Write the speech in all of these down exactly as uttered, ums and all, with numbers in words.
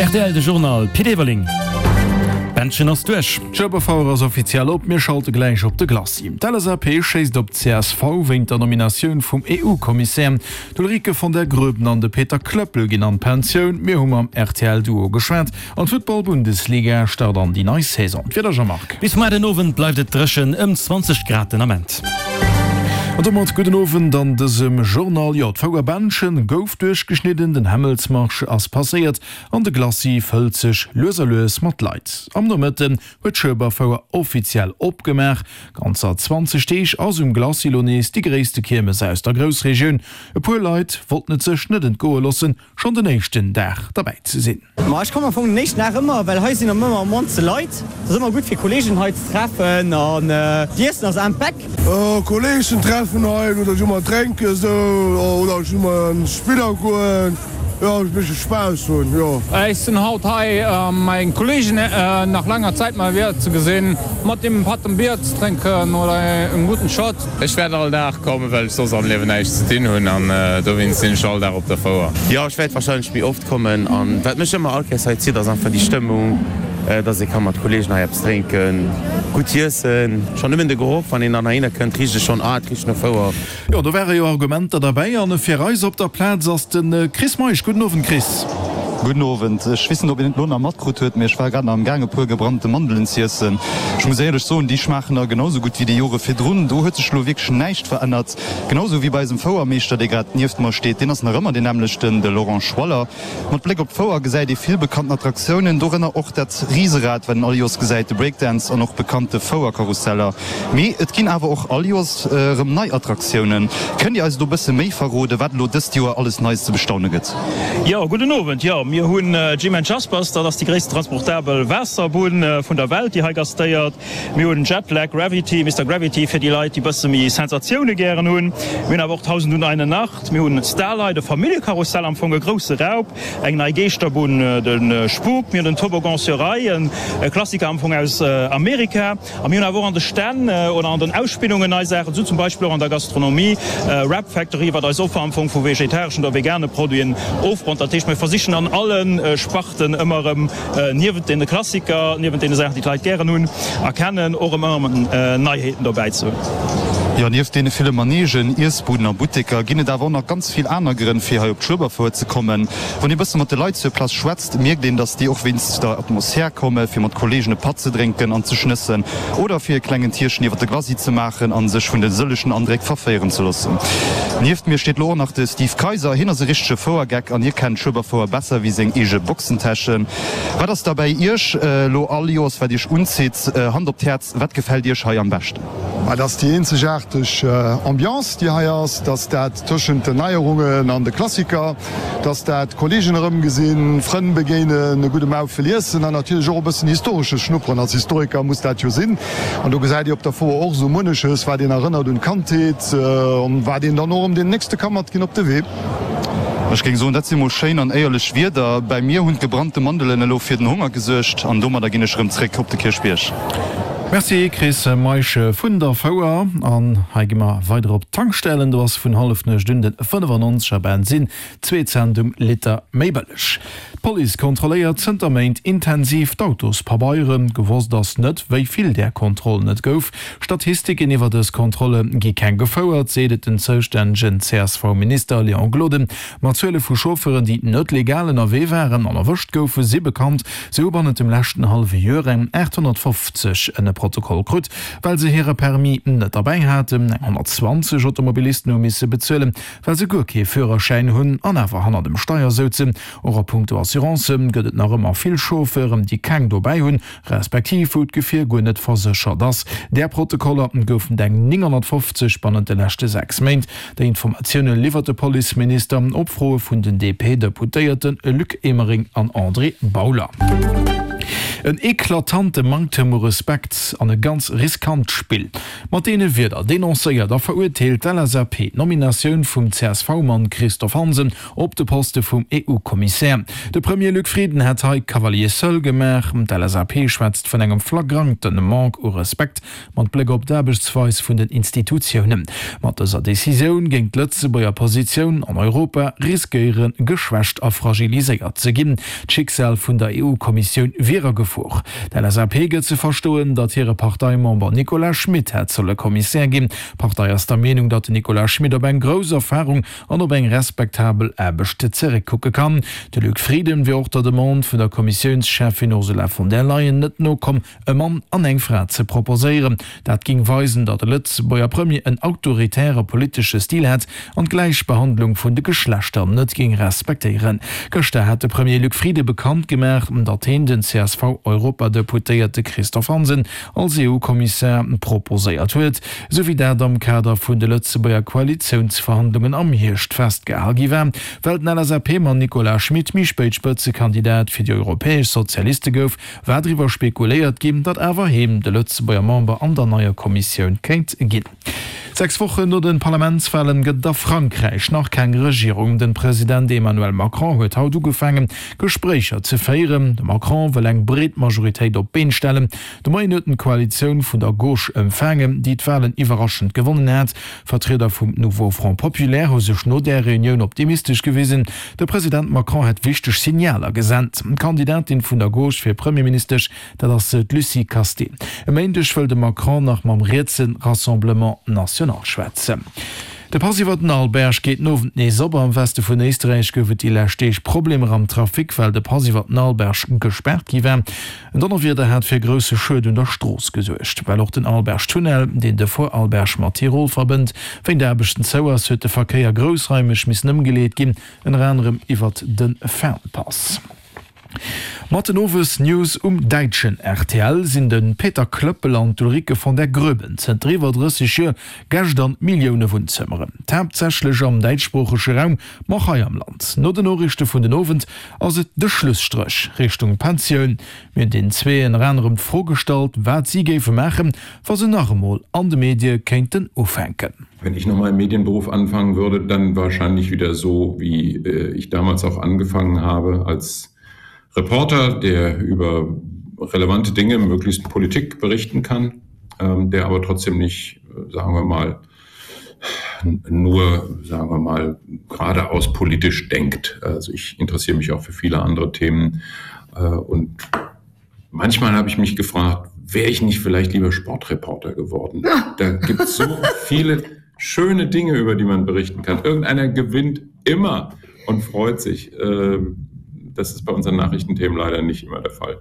Rtl, De Journal, Pit Everling. D'Bändchen ass duerch. D'Schueberfouer ass offiziell op, mir schalte gläich op de Glacis. D'L S A P schéisst op d'C S V wéint der Nominatioun vum E U-Kommissär. D'Ulrike von der Groeben an de Peter Klöppel ginn an d'Pensioun. Mir hu mam R T L-Duo geschwat. An d'Futtball-Bundesliga start an déi nei Saison. D'Wieder, Jean-Marc. Bis muer den Owend bleift et dréchen, ëm zwanzeg Grad den Ament. An domat gudden Owend an dësem Journal. Jo, d'Fouerbändchen gouf duerchgeschnidden, den Hämmelsmarsch ass passéiert an de Glacis fëllt sech lues a lues mat Leit. Am Nomëtten huet d'Schueberfouer offiziell opgemaach. Ganzer zwanzeg Deeg ass um Glacis lo nees déi gréisste Kiermes aus der Groussregioun. E puer Leit wollten et sech net entgoe loossen, schonn den éischten Dag derbäi ze sinn. Ma ech kommen am Fong den éischten Dag ëmmer, well hei sinn ëmmer am mannste Leit. Et ass ëmmer gutt fir Kolleegen hei ze treffen an d'Iessen ass am Beck. Kolleegen treffen hei oder just mol drénken sou oder just mol an Spiller goen, jo e bëssche Spaass hunn, jo. Ech sinn haut hei meng Kolleegen nach laanger Zäit mol wieder ze gesinn, mat deem e Patt Bier ze drénken oder en gudden Shot. Ech wäert all Dag kommen, well ech soss am Liewen näischt ze dinn hunn an dowéinst sinn ech all Dag op der Fouer. Jo, ech wäert wahrscheinlech méi oft kommen an wat mech ëmmer all Kéiers hei zitt ass einfach déi Stëmmung, dass ee ka mat Kolleegen hei eppes drénken, gutt iessen. Schonn nëmmen de Geroch, wann een dann heihinner kënnt, richt ech schonn, ah et richt no Fouer. Jo, do ware jo Argumenter derbäi an fir eis op der Plaz ass de Chris Meisch. Gudden Owend, Chris. Gudden Owend. Ech weess net, ob een et elo nach matkrut huet, mee ech war grad nach am Gaang e puer gebrannte Mandelen z'iessen. Ech muss éierlech soen, déi schmaachen nach genau sou gutt wéi déi Jore virdrun. Do huet sech elo wierklech näischt verännert. Genau sou wéi bei eisem Fouermeeschter, dee grad nieft mer steet. Deen ass nach ëmmer deen nämmlechten, de Laurent Schwaller. Mat Bléck op d'Fouer gesäit ee vill bekannten Attraktiounen, dorënner och dat Riserad, wat een all Joers gesäit, de Breakdance an och bekannte Fouerkarusseller. Mee et ginn awer och all Joers erëm nei Attraktiounen. Kënnt Dir eis elo e bësse méi verroden, wat elo dëst Joer alles Neies ze bestaune gëtt? Jo, gudden Owend. Jo, mir hunn Jim and Jaspers, dat ass déi gréissten transportabel Waasserbunn vun der Welt, déi hei gastéiert. Mir hunn Jetlag Gravity, Mister Gravity fir déi Leit, déi bësse méi Sensatioune gären hunn. Mir hunn awer och Tausend und eine Nacht. Mir hunn Starlight, e Familljekarussell, am Fong e grousse Raup, eng nei Geeschterbunn, de Spuk. Mir hunn den Toboggan sur rails, e Klassiker am Fong aus Amerika. A mir hunn awer och an de Stänn oder an den Ausspillungen nei Saachen, sou zum Beispill och an der Gastronomie, Wrap Factory, wat eis Offer am Fong vu vegetareschen oder vegane Produiten ofronnt. Dat heescht, mir versichen an alle Sparten ëmmer erëm niewent deene Klassiker, niewent deene Saachen, déi d'Leit gären hunn a kennen, och ëmmer erëm Neiheeten dobäi ze hunn. Jo, nieft deene ville Manegen, Iessbuden a Butteker ginn et awer och nach ganz vill aner Grënn, fir hei op d'Schueberfouer ze kommen. Wann ee bësse mat de Leit sur place schwätzt, mierkt een, dass déi och wéinst der Atmosphär komme fir mat Kolleegen e Patt ze drénken an ze schnëssen oder fir e klengen Tierchen iwwer de Glacis ze maachen a sech vun de sëllegen Andréck verféieren ze loossen. Nieft mir steet lo och nach de Steve Kayser. Hien ass e richtege Fouergeck an hie kennt d'Schueberfouer besser wéi seng eege Boxentäschen. Wat ass da bäi Iech lo all Joers, wat Iech unzitt? Hand op d'Häerz, wat gefält Iech hei am beschten? Et ass déi eenzegaarteg Ambiance, déi hei ass, dass dat tëschent den Neierungen an de Klassiker, dass dat Kolleegen erëmgesinn, Frënn begéinen, e gudde Maufel iessen an natierlech och e bëssen Historesches schnupperen. Als Historiker muss dat jo sinn. An do gesäit Dir op der Fouer och esou munneches, wat een erënnert un d'Kandheet an wat een dann och erëm deenen Nächste ka matginn op de Wee. Ech géing soen, dat si mol schéin an éierlech Wierder. Bäi mir hunn d'gebrannte Mandelen elo fir den Honger gesuergt an domadder ginn ech erëm zréck op de Kierchbierg. Merci Chris Meisch vun der Fouer. An hei gi mer weider op d'Tankstellen. Do ass vun Hallefnuecht un den fënnefannonzeger Bensin zwee Cent um Liter méi bëlleg. D'Police kontrolléiert zënter Méint intensiv d'Autospabeieren. Gewosst ass net, wéi vill där Kontrollen et gouf. Statistiken iwwer dës Kontrolle gi keng gefouert, seet et den zoustännegen C S V-Minister Léon Gloden. Ma Zuele vu Chauffeuren, déi net legal ënnerwee waren an erwëscht goufen, si bekannt. Si hu bannent dem leschten hallwe Joer eng aathonnertfofzeg en Protokoll krut, well se hire Permis net derbäi haten. Eng honnertzwanzeg Automobilisten hu misse bezuelen, well se guer kee Führerschäin hunn an awer hanner dem Steier souzen. Och a punkto Assurance gëtt et nach ëmmer vill Chauffeuren, déi keng dobäi hunn, respektiv wou d'Gefier guer net verséchert ass. Där Protokoller goufen et eng nénghonnertfofzeg bannent de leschte sechs Méint. Déi Informatioune liwwert de Policeminister op Froe vun den D P-Deputéierte Luc Emering an André Bauler. En eklatante Manktem u Respekt an e ganz riskant Spill. Mat deene Wierder denoncéiert a verurteelt d'LSAP d'Nominatioun vum CSV-Mann Christophe Hansen op de Poste vum EU-Kommissär. De Premier Luc Frieden hätt hei Cavalier seul gemaach. D'LSAP schwätzt vun engem flagrante Manque u Respekt mat Bléck op d'Aarbechtsweis vun den Institutiounen. Mat dëser Decisioun géing d'Lëtzebuerger Positioun an Europa riskéiere geschwächt a fragiliséiert ze ginn. D'Schicksal vun der EU-Kommissioun wier a Gefor. D'LSAP gëtt ze verstoen, datt hire Parteimember Nicolas Schmit hätt solle Kommissär ginn. D'Partei ass der Meenung, datt den Nicolas Schmit op eng grouss Erfarung an op eng respektabel Aarbecht zeréckkucke kann. De Luc Frieden wier och der Demande vun der Kommissiounscheffin Ursula von der Leyen net nokomm, e Mann an eng Fra ze proposéieren. Dat géing weisen, datt de Lëtzebuerger Premier en autoritäre politesche Stil hätt an d'Gläichbehandlung vun de Geschlechter net géing respektéieren. Gëschter hat de Premier Luc Frieden bekannt gemaach, datt hien den CSV-Europadeputéierte Christophe Hansen als EU-Kommissär proposéiert huet, esou wéi dat am Kader vun de Lëtzebuerger Koalitiounsverhandlungen am Hierscht festgehal gi war. Well den LSAP-Mann Nicolas Schmit méi spéit Spëtzekandidat fir déi europäesch Sozialiste gouf, war driwwer spekuléiert ginn, datt awer hien de Lëtzebuerger Member an der neier Kommissioun kéint ginn. Sechs Wochen no de Parlamentswalen gëtt et a Frankräich nach keng Regierung. Den President Emmanuel Macron huet haut ugefaangen, Gespréicher ze féieren. De Macron wëll eng breet Majoritéit op d'Been stellen. De Moien huet en d'Koalitioun vun der Gauche empfaangen, déi d'Walen iwwerraschend gewonnen hat. Vertrieder vum Nouveau Front Populaire hu sech no där Reunioun optimistesch gewisen. De President Macron hätt wichteg Signaler gesent. D'Kandidatin vun der Gauche fir Premierministesch, dat ass d'Lucie Casté. E Méindeg wëll de Macron nach mam rietse Rassemblement National schwätzen. De Pass iwwer den Arlberg geet den Owend nees op. Am Weste vun Éisterräich gouf et déi lescht Deeg Problemer am Trafic, well de Pass iwwer den Arlberg gespaart gi war. En Donnerwieder hat fir grousse Schued un der Strooss gesuergt. Well och den Arlbergtunnel, deen de Vorarlberg mat Tirol verbënnt, wéint Aarbechten zou ass, huet de Verkéier groussraimeg missen ëmgeleet ginn, ënner anerem iwwert de Fernpass. Mat den Owes-News um däitschen rtl sinn de Peter Klöppel an d'Ulrike von der Groeben zënter iwwer drësseg Joer Gäscht an Millioune Wunnzëmmeren, haaptsächlech am däitschsproochege Raum, ma och hei am Land. No den Noriichte vun den Owend ass et de Schlusstréch Richtung Pensioun. Mir hunn den zwee ënner anerem d'Fro gestallt, wat si géife maachen, wa se nach emol an de Medie kéinten ufänken. Wenn ich nochmal im Medienberuf anfangen würde, dann wahrscheinlich wieder so, wie ich damals auch angefangen habe als Reporter, der über relevante Dinge, möglichst Politik berichten kann, ähm, der aber trotzdem nicht, sagen wir mal, nur sagen wir mal geradeaus politisch denkt. Also ich interessiere mich auch für viele andere Themen äh, und manchmal habe ich mich gefragt, wäre ich nicht vielleicht lieber Sportreporter geworden. Da gibt es so viele schöne Dinge, über die man berichten kann. Irgendeiner gewinnt immer und freut sich. Ähm, das ist bei unseren Nachrichtenthemen leider nicht immer der Fall.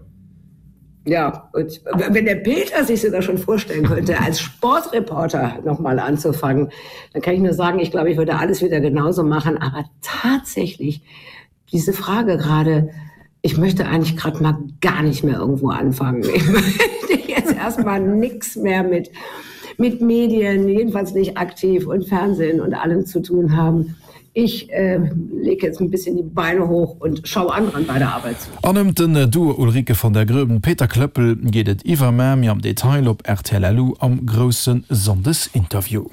Ja, und wenn der Peter sich sogar schon vorstellen könnte, als Sportreporter noch mal anzufangen, dann kann ich nur sagen, ich glaube, ich würde alles wieder genauso machen. Aber tatsächlich diese Frage gerade, ich möchte eigentlich gerade mal gar nicht mehr irgendwo anfangen. Ich möchte jetzt erstmal nichts mehr mit, mit Medien, jedenfalls nicht aktiv und Fernsehen und allem zu tun haben. Ich äh, lege jetzt ein bisschen die Beine hoch und schau anderen bei der Arbeit zu. An ëm den Duo Ulrike von der Groeben, Peter Klöppel geet et iwwermuer méi am Detail op rtl am grousse Sonndesinterview.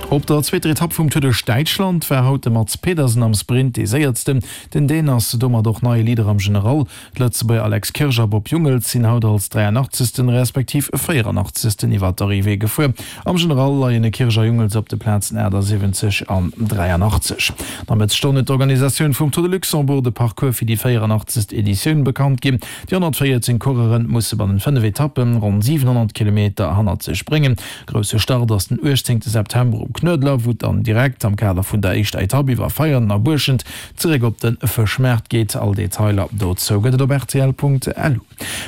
Op der zweeter Etapp vum Tour duerch Däitschland war haut de Mads Pedersen am Sprint dee Séiersten. Den Dän ass domat och neie Leader am General. D'Lëtzebuerger Alex Kirsch a Bob Jungels sinn haut als dräianachtzegsten respektiv véieranachtzegsten iwwer d'Arrivée gefuer. Am General leien Kirsch a Jungels op de Plazen achtasiwwenzeg an dräianachtzeg. No Mëttesstonn huet d'Organisatioun vum Tour de Luxembourg de Parcours fir déi véieranachtzegst Editioun bekannt ginn. Déi honnertvéierzéng Coureure musse bannent fënnef Etappen ronn siwenhonnert Kilometer hannert sech bréngen. Grousse Start ass den uechtzéngte September um Knuedler, wou et dann direkt am Kader vun der éischter Etapp iwwer Veianen a Buerschent zeréck op de Fëschmaart geet. All Detailer dozou gëtt et op rtl.lu.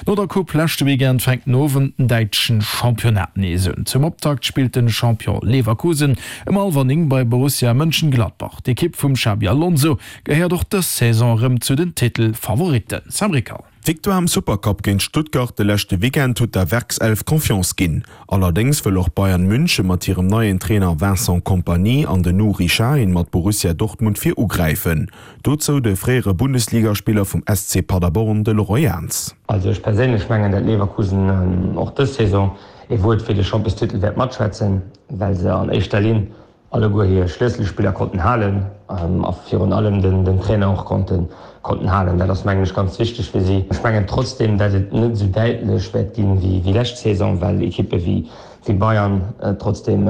No der Coupe leschte Weekend fänkt den Owend den däitschen Championnat nees un. Zum Optakt spillt den Champion Leverkusen ëm hallwer néng bei Borussia Mönchengladbach. D'Ekipp vum Xabi Alonso gehéiert och dës Saison erëm zu den Titelfavoritten. Sam Rickal. D'Victoire am Supercup géint Stuttgart de leschte Weekend huet der Werkself Confiance ginn. Allerdéngs wëll och Bayern München mat hirem neien Trainer Vincent Kompany an den Nuri Sahin mat Borussia Dortmund vir ugräifen. Dozou de fréiere Bundesligaspiller vum S C Paderborn, de Laurent Jans. Also ech perséinlech mengen, dat Leverkusen och dës Saison ee Wuert fir de Championstitel wäert matschwätzen, well se an éischter Linn alleguer hir Schlësselspiller konnten halen a virun allem den Trainer och konnten konnten halen. Dat ass mengen ech ganz wichteg fir si. Ech mengen trotzdeem, dat et net esou däitlech wäert ginn wéi lescht Saison, well Ekippe wéi wéi Bayern trotzdeem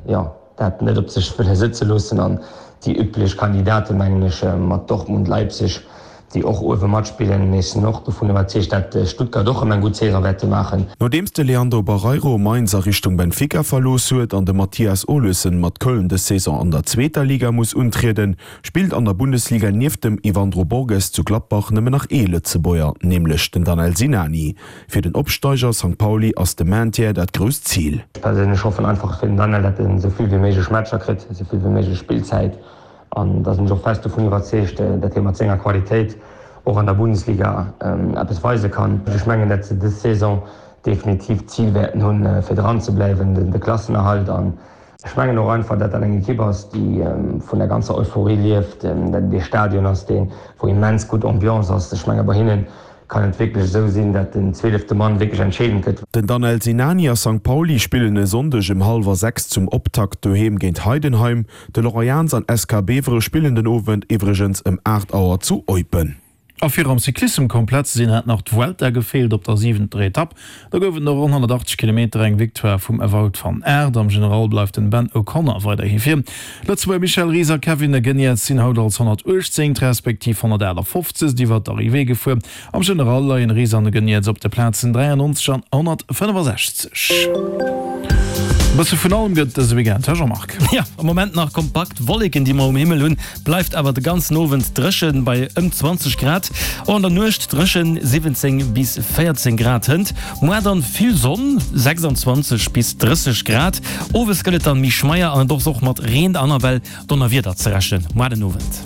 jo dat net op sech wëlle sëtze loossen an déi üblech Kandidaten, mengen ech, mat Dortmund, Leipzig, déi och uewe matspillen. Mee ech sinn och dovun iwwerzeegt, dat Stuttgart och erëm eng gutt Saison wäerte maachen. Nodeems de Leandro Barreiro Mainz a Richtung Benfica verlooss huet an de Mathias Olesen mat Köln dës Saison an der zweeter Liga muss untrieden, spillt an der Bundesliga nieft dem Yvandro Borges zu Gladbach nëmmen nach ee Lëtzebuerger, nämlech den Danel Sinani. Fir den Opsteiger Sankt Pauli ass de Maintien dat grousst Zil. Ech perséinlech hoffen einfach fir den Danel, dat en esou vill wéi méiglech Matcher kritt, esou vill wéi méiglech Spillzäit. An da sinn ech och fest dovun iwwerzeegt, datt hie mat senger Qualitéit och an der Bundesliga eppes weise kann. Ech mengen, datt se dës Saison definitiv d'Zil wäerten hunn, fir dran ze bleiwen, de Klassenerhalt. An ech mengen och einfach, datt dat eng Ekipp ass, déi vun der ganzer Euphorie lieft, datt et ee Stadion ass, dee wou immens gutt Ambiance ass. Ech menge bei hinne kann et wierklech esou sinn, datt den zwielefte Mann wierklech entscheedend gëtt. Den Danel Sinani a Sankt Pauli spillen e Sonndeg ëm hallwer sechs zum Optakt doheem géint Heidenheim. De Laurent Jans an S K Bevere spillen den Owend iwwregens ëm aacht Auer zu Eupen. A fir am Cyclissem komplett ze sinn, hat nach d'Vuelta gefeelt op der siwenter Etapp. Do gouf et no ronn honnertachtzeg Kilometer eng Victoire vum Wout van Aert. Am General bleift den Ben O'Connor weiderhi vir. Lëtzebuerger Michel Ries a Kevin Geniets sinn haut als honnertuechtzéngt respektiv honnertaachtafoffzegst iwwer d'Arrivée gefuer. Am General leien Ries an Geniets op de Plazen dräiannonzeg an honnertfënnefasechzeg. E bësse vun allem gëtt et dëse Weekend, hä Jean-Marc? Jo, am Moment nach kompakt Wolleken, déi mer um Himmel hunn, bleift awer de ganzen Owend dréchen bei ëm zwanzeg Grad. Och an der Nuecht dréchen, siwwenzéng bis véierzéng Grad hënt. Muar dann vill Sonn, sechsanzwanzeg bis drësseg Grad. Owes gëtt et dann méi schmeier an et ass och mat Reen an ewell Donnerwieder ze rechnen muar den Owend.